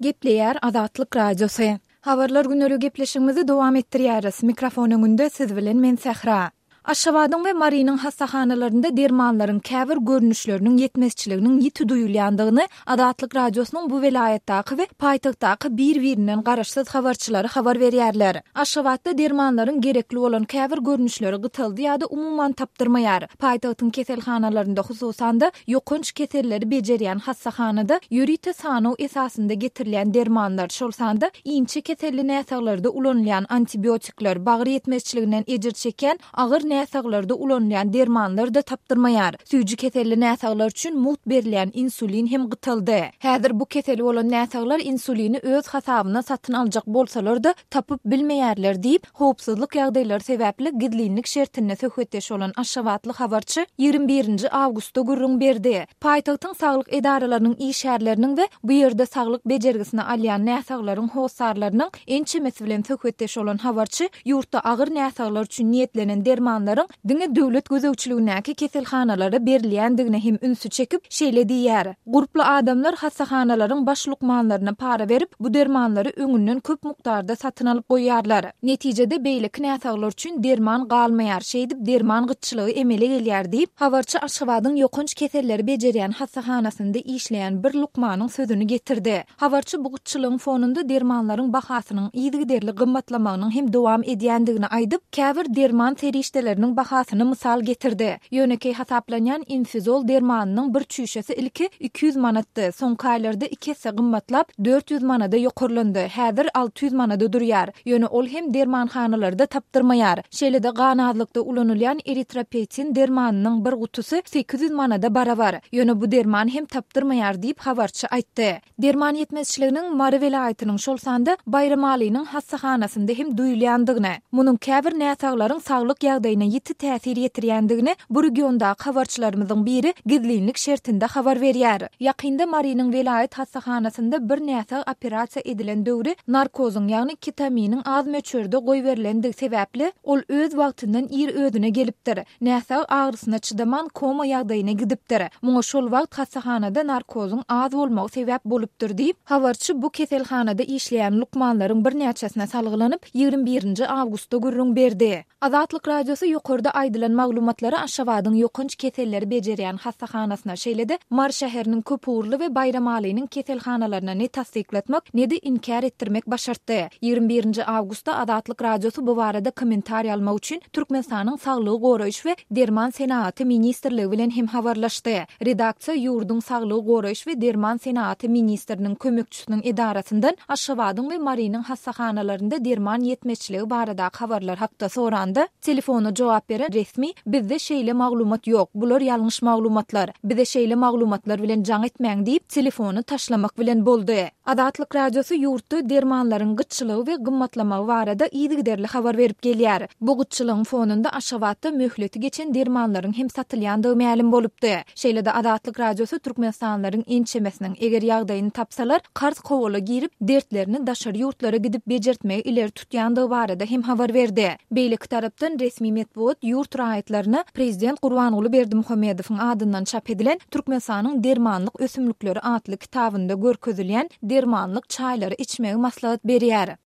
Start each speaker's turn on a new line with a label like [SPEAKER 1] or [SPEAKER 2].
[SPEAKER 1] Gepleýär Azatlyk Radiosy. Habarlar güneri gepleşigimizi dowam etdirýäris. Mikrofon öňünde siz bilen men Sähra. Aşgabadyň we Marynyň hassahanalarynda dermanlaryň käbir görnüşleriniň ýetmezçiliginiň ýiti duýulýandygyny Azatlyk Radiosynyň bu welaýatdaky we paýtagtdaky bir-birinden garaşsyz habarçylary habar berýärler. Aşgabatda dermanlaryň gerekli bolan käbir görnüşleri gytaldy ýa-da umuman tapdyrmaýar. Paýtagtyň keselhanalarynda, hususan-da, ýokanç keselleri bejerýän hassahanada ýörite sanaw esasynda getirilýän dermanlar, şol sanda inçe keselli näsaglarda ulanylýan antibiotikler, bagyr ýetmezçiliginden ejir çekýän agyr näsaglarda ulanylýan dermanlar-da tapdyrmaýar. Süýji keselli näsaglar üçin mugt berilýän insulin hem gytaldy. Häzir bu keseli bolan näsaglar insulini öz hasabyna satyn aljak bolsalar-da, tapyp bilmeýärler diýip, howpsuzlyk ýagdaýlary sebäpli gizlinlik şertinde söhbetdeş bolan aşgabatly habarçy 21 nji awgustda gürrüň berdi. Paýtagtyň saglyk edaralarynyň işgärleriniň we bu ýerde saglyk bejergisini alýan näsaglaryň hossarlarynyň ençemesi bilen söhbetdeş bolan habarçy ýurtda agyr näsaglar üçin niýetlenen dermanlaryň diňe döwlet gözegçiligindäki keselhanalara berilýändigine hem ünsi çekip, şeýle diýýär, Gurply adamlar hassahanalaryň baş lukmanlaryna para berip, bu dermanlary öňünden köp mukdarda satyn alyp goýýarlar. Netijede, beýleki näsaglar üçin derman galmaýar, şeýdip derman gytçylygy emele gelýär diýip, habarçy Aşgabadyň ýokanç keselleri bejerýän hassahanasynda işleýän bir lukmanyň sözüni getirdi. Habarçy bu gytçylygyň fonunda dermanlaryň bahasynyň yzygiderli gymmatlamagynyň hem dowam edýändigini aýdyp, käbir derman serişdeleriniň bahasyny mysal getirdi. Ýönekeý hasaplanýan Infizol dermanynyň bir çüýşesi ilki 200 manatdy, soňky aýlarda iki esse gymmatlap, 400 manada ýokarlandy, häzir 600 manada durýar. Ýöne ol hem dermanhanalarda tapdyrmaýar. Şeýle-de gan azlykda ulanylýan eritropetin dermanynyň bir gutusy 800 manada barabar. Ýöne bu derman hem tapdyrmaýar diýip, habarçy aýtdy. Derman ýetmezçiliginiň Mary welaýatynyň, şol sanda Baýramalynyň hassahanasynda hem duýulýandygyny, munuň käbir näsaglaryň saglyk ýagdaýyna ýiti täsir ýetirýändigini bu regiondaky habarçylarymyzyň biri gizlinlik şertinde habar berýär. Ýakynda Marynyň welaýat hassahanasynda bir näsag operasiýa edilen döwri narkozyň, ýagny ketaminiň az möçberde goýberilendigi sebäpli, ol öz wagtyndan ir özüne gelipdir. Näsag agyrysyna çydaman koma ýagdaýyna gidipdir. Muňa şol wagt hassahanada narkozyň az bolmagy sebäp bolupdyr diýip, habarçy bu keselhanada işleýän lukmanlaryň birnäçesine salgylanyp, 21 nji awgustda gürrüň berdi. Azatlyk Radiosy ýokarda aýdylan maglumatlary Aşgabadyň ýokanç keselleri bejerýän hassahanasyna, şeýle-de Mary şäheriniň köpugurly we Baýramalynyň keselhanalaryna ne tassyklatmak, ne-de inkär etdirmek başartdy. 21 nji awgustda Azatlyk Radiosy bu barada kommentariý almak üçin Türkmenistanyň Saglygy goraýyş we derman senagaty ministrligi bilen hem habarlaşdy. Redaksiýa ýurduň Saglygy goraýyş we derman senagaty ministriniň kömekçisiniň edarasyndan Aşgabadyň we Marynyň hassahanalarynda derman ýetmezçiligi baradaky habarlar hakda soranda, telefona jogap beren resmi, Bizde şeýle maglumat ýok, bular ýalňyş maglumatlar. Bize şeýle maglumatlar bilen jaň etmäň diýip, telefony taşlamak bilen boldy. Azatlyk Radiosy ýurtda dermanlaryň gytçylygy we gymmatlamagy barada yzygiderli habar berip gelýär. Bu gytçylygyň fonunda Aşgabatda möhleti geçen dermanlaryň hem satylýandygy mälim bolupdy. Şeýle-de Azatlyk Radiosy türkmenistanlylaryň ençemesiniň, eger ýagdaýyny tapsalar, karz-kowala girip, dertlerini daşary ýurtlara gidip bejertmegi ileri tutýandygy barada hem habar berdi. Beýleki tarapdan, resmi metbugat ýurt raýatlaryna prezident Gurbanguly Berdimuhamedowyň adyndan çap edilen Türkmenistanyň dermanlyk ösümlikleri atly kitabynda görkezilýän dermanlyk çaýlary içmegi maslahat berýär.